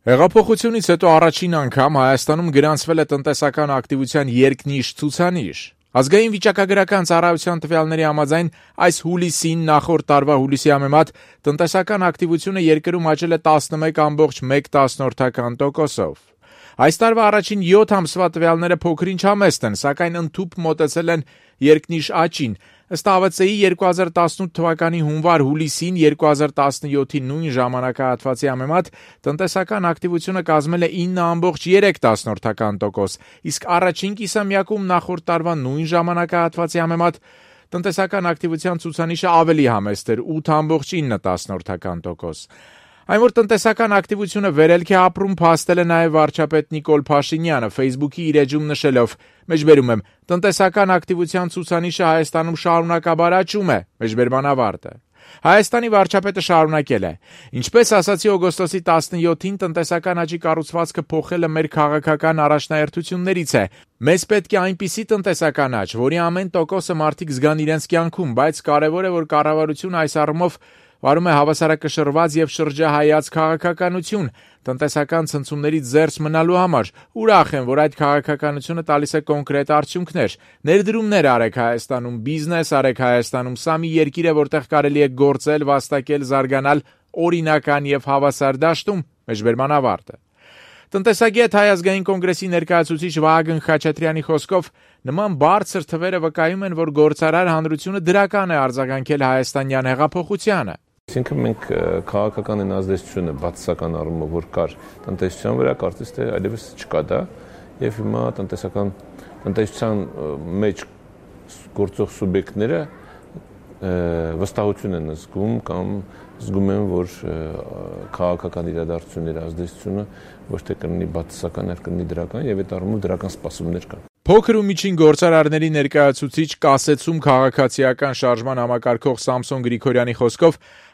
Հեղափոխությունից հետո առաջին անգամ Հայաստանում գրանցվել է տնտեսական ակտիվության երկնիշ ցուցանիշ։ Ազգային վիճակագրական ծառայության տվյալների համաձայն այս հուլիսին նախորդ տարվա հուլիսի համեմատ տնտեսական ակտիվությունը երկրում աճել է 11,1%-ով։ Այս տարվա առաջին 7 ամսվա տվյալները փոքր-ինչ համեստ են, սակայն ընդհուպ մոտեցել են երկնիշ աճին։ Ըստ ԱՎԾ-ի 2018 թվականի հունվար-հուլիսին 2017-ի նույն ժամանակահատվածի համեմատ տնտեսական ակտիվությունը կազմել է 9,3%, իսկ առաջին կիսամյակում նախորդ տարվա նույն ժամանակահատվածի համեմատ տնտեսական ակտիվության ցուցանիշը ավելի համեստ էր 8,9%։ Այն որ տնտեսական ակտիվությունը վերելք է ապրում, փաստել է նաև վարչապետ Նիկոլ Փաշինյանը Facebook-ի իր էջում նշելով. «Մեջբերում եմ, տնտեսական ակտիվության ցուցանիշը Հայաստանում շարունակաբար աճում է»։ Մեջբերման ավարտը։ Հայաստանի վարչապետը շարունակել է. «Ինչպես ասացի օգոստոսի 17-ին, տնտեսական աճի կառուցվածքը փոխելը մեր քաղաքական առաջնահերթություններից է։ Մեզ պետք է այնպիսի տնտեսական աճ, որի ամեն տոկոսը մարդիկ զգան իրենց կյանքում, բայց կարևոր է, որ կառավարությունը այս առումով վարում է հավասարակշռված եւ շրջահայաց քաղաքականություն, տնտեսական ցնցումներից զերծ մնալու համար։ Ուրախ եմ, որ այդ քաղաքականությունը տալիս է կոնկրետ արդյունքներ։ Ներդրումներ արեք Հայաստանում, բիզնես արեք Հայաստանում, սա մի երկիր է, որտեղ կարելի է գործել, վաստակել, զարգանալ օրինական եւ հավասար դաշտում»։ Մեջբերման ավարտը։ Տնտեսագետ Հայ ազգային կոնգրեսի ներկայացուցիչ Վահագն Խաչատրյանի խոսքով նման բարձր թվերը վկայում են, որ գործարար հանրությունը դրական է արձագանքել հայաստանյան հեղափոխությանը։ Այսինքն մենք քաղաքական այն ազդեցությունը բացասական առումով որ կար տնտեսության վրա, կարծես թե այլևս չկա դա, եւ հիմա տնտեսության մեջ գործող սուբյեկտները վստահություն են զգում կամ զգում են, որ քաղաքական իրադարձությունների ազդեցությունը ոչ թե կլինի բացասական, այլ կլինի դրական, եւ այդ առումով դրական սպասումներ կան։ Փոքր ու միջին գործարարների ներկայացուցիչ կասեցում քաղաքացիական շարժման համակարգող Սամսոն Գրիգորյանի խոսքով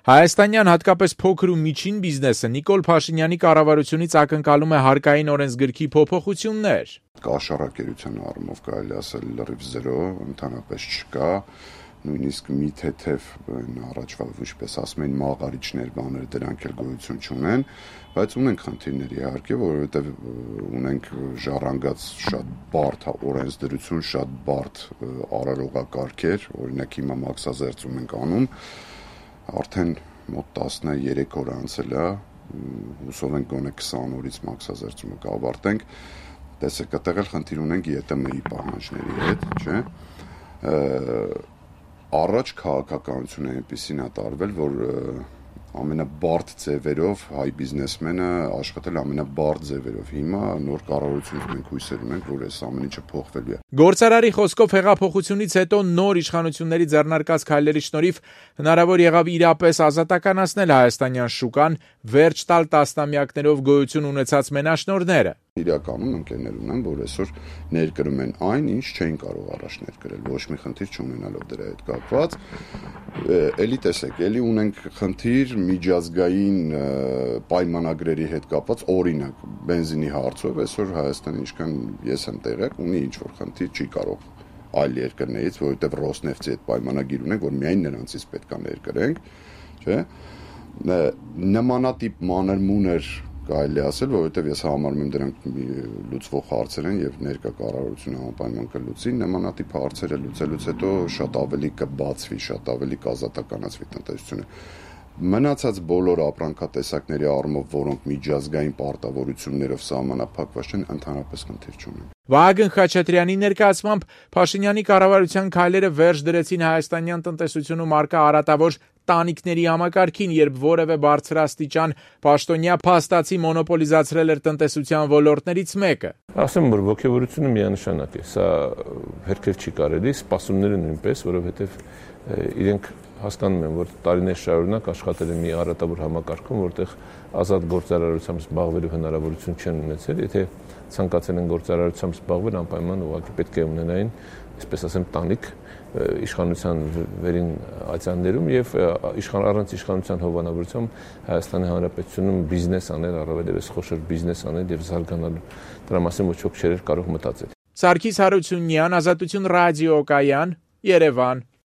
հայաստանյան հատկապես փոքր ու միջին բիզնեսը Նիկոլ Փաշինյանի կառավարությունից ակնկալում է հարկային օրենսգրքի փոփոխություններ։ Կաշառակերության առումով կարելի ասել լրիվ 0, ընդհանրապես չկա, նույնիսկ մի թեթև առաջվա ինչպես ասում են մաղարիչներ բաներ դրանք էլ գոյություն չունեն, բայց ունենք խնդիրներ իհարկե, որովհետև ունենք ժառանգած շատ բարդ օրենսդրություն, շատ բարդ արարողակարգեր, օրինակ հիմա մաքսազերծում ենք անում, արդեն մոտ 13 օր անցել է, հուսով ենք գոնե 20 օրից մաքսազերծումը կավարտենք, տեսեք, այդտեղ էլ խնդիր ունենք ԵՏՄ-ի պահանջների հետ, չէ՞։ Առաջ քաղաքականությունը այնպեսին է տարվել, որ ամենաբարդ ձևերով հայ բիզնեսմենը աշխատել ամենաբարդ ձևերով։ Հիմա նոր կառավարությունից մենք հույսեր ունենք, որ այս ամեն ինչը փոխվելու է։ Գործարարի խոսքով հեղափոխությունից հետո նոր իշխանությունների ձեռնարկած քայլերի շնորհիվ հնարավոր եղավ իրապես ազատականացնել հայաստանյան շուկան, վերջ տալ տասնամյակներով գոյություն ունեցած մենաշնորհները։ Իրականում ընկերներ ունեն, որ այսօր ներկրում են այն, ինչ չէին կարող առաջ ներկրել, ոչ մի խնդիր չունենալով դրա հետ կապված։ Էլի տեսեք, էլի ունենք խնդիր միջազգային պայմանագրերի հետ կապված, օրինակ բենզինի հարցով, այսօր Հայաստանը ինչքան ես եմ տեղյակ, ունի ինչ-որ խնդիր, չի կարող այլ երկրներից, որովհետև Ռոսնեֆտի հետ պայմանագիր ունենք, որ միայն նրանցից պետք է ներկրենք, չէ՞։ Նմանատիպ մանր-մուներ կարելի ասել, որովհետև ես համարում եմ դրանք լուծվող հարցեր են եւ ներկա կառավարությունը անպայման կլուծի, նմանատիպ հարցերը լուծելուց հետո շատ ավելի կբացվի, շատ ավելի կազատականացվի տնտեսությունը։ Մնացած բոլոր ապրանքատեսակների առումով, որոնք միջազգային պարտավորություններով սահմանափակված են, ընդհանրապես խնդիր չունեն։ Վահագն Խաչատրյանի ներկայացմամբ Փաշինյանի կառավարության քայլերը վերջ դրեցին հայաստանյան տնտեսությունում առկա արատավոր տանիքների համակարգին, երբ որևէ բարձրաստիճան պաշտոնյա փաստացի մոնոպոլիզացրել էր տնտեսության ոլորտներից մեկը։ Ասեմ, որ ողջավորությունը միանշանակ է, սա հերքել չի կարելի, սպասումները նույնպես, որովհետև իրենք հասկանում են, որ տարիներ շարունակ աշխատել են մի արատավոր համակարգում, որտեղ ազատ գործարարությամբ զբաղվելու հնարավորություն չեն ունեցել, եթե ցանկացել են գործարարությամբ զբաղվել, անպայման ուղղակի պետք է ունենային, այսպես ասեմ, տանիք իշխանության վերին ացյաններում եւ առանց իշխանության հովանավորությամբ Հայաստանի Հանրապետությունում բիզնես անել, առավելևս խոշոր բիզնես անել եւ զարգանալու դրա մասին ոչ ոք չէր կարող մտածել։ Սարգիս Հարությունյան, Ազատություն ռադիոկայան, Երևան։